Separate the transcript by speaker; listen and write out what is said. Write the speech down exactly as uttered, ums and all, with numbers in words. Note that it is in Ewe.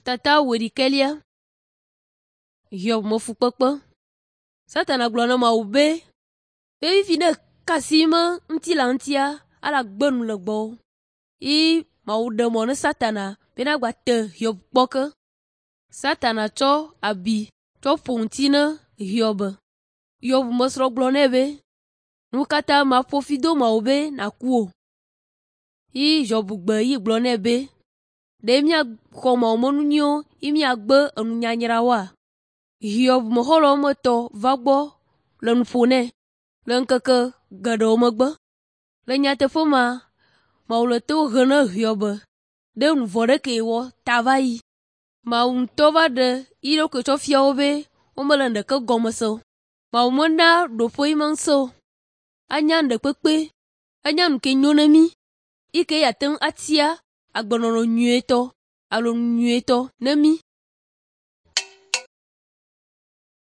Speaker 1: Tata wuiɖekɛlia. Hiob me fukpekpe. Satana gblɔ na Mawu be, be fifi ne kasi me ŋutilã ŋutia, ala gbe nu le gbɔwò. Yi Mawu ɖe mɔ ne Satana bena gbate Hiob kpɔ ke. Satana tsɔ abi tsɔ ƒo ŋuti ne Hiob. Hiob mesrɔ̃ gblɔ nɛ be, nu katã maƒo fi do Mawu be nàku o. Yi Hiob gbe yi gblɔ nɛ be, ɖe míaxɔ Mawu me nu nyuiwo yi míagbe enunyanyrawoa? Hiob me xɔlɔ̃ woame etɔ̃ va gbɔ le nu ƒo nɛ le ŋkeke geɖewo megbe. Le nyateƒe ma, Mawu le to he ne Hiob ɖe nu vɔ̃ ɖe ke wɔ ta va yi. Mawu ŋutɔ va ɖe yi ɖokui tsɔ fia wo be womele nu ɖeke gɔme se o. Mawu mena ɖoƒe yi me ŋusẽ o. Enya nu ɖekpekpe, enya nu ke nyo ne mí, yi ke yeate ŋu atia agbenɔnɔ nyuietɔ alo nu nyuietɔ ne mí.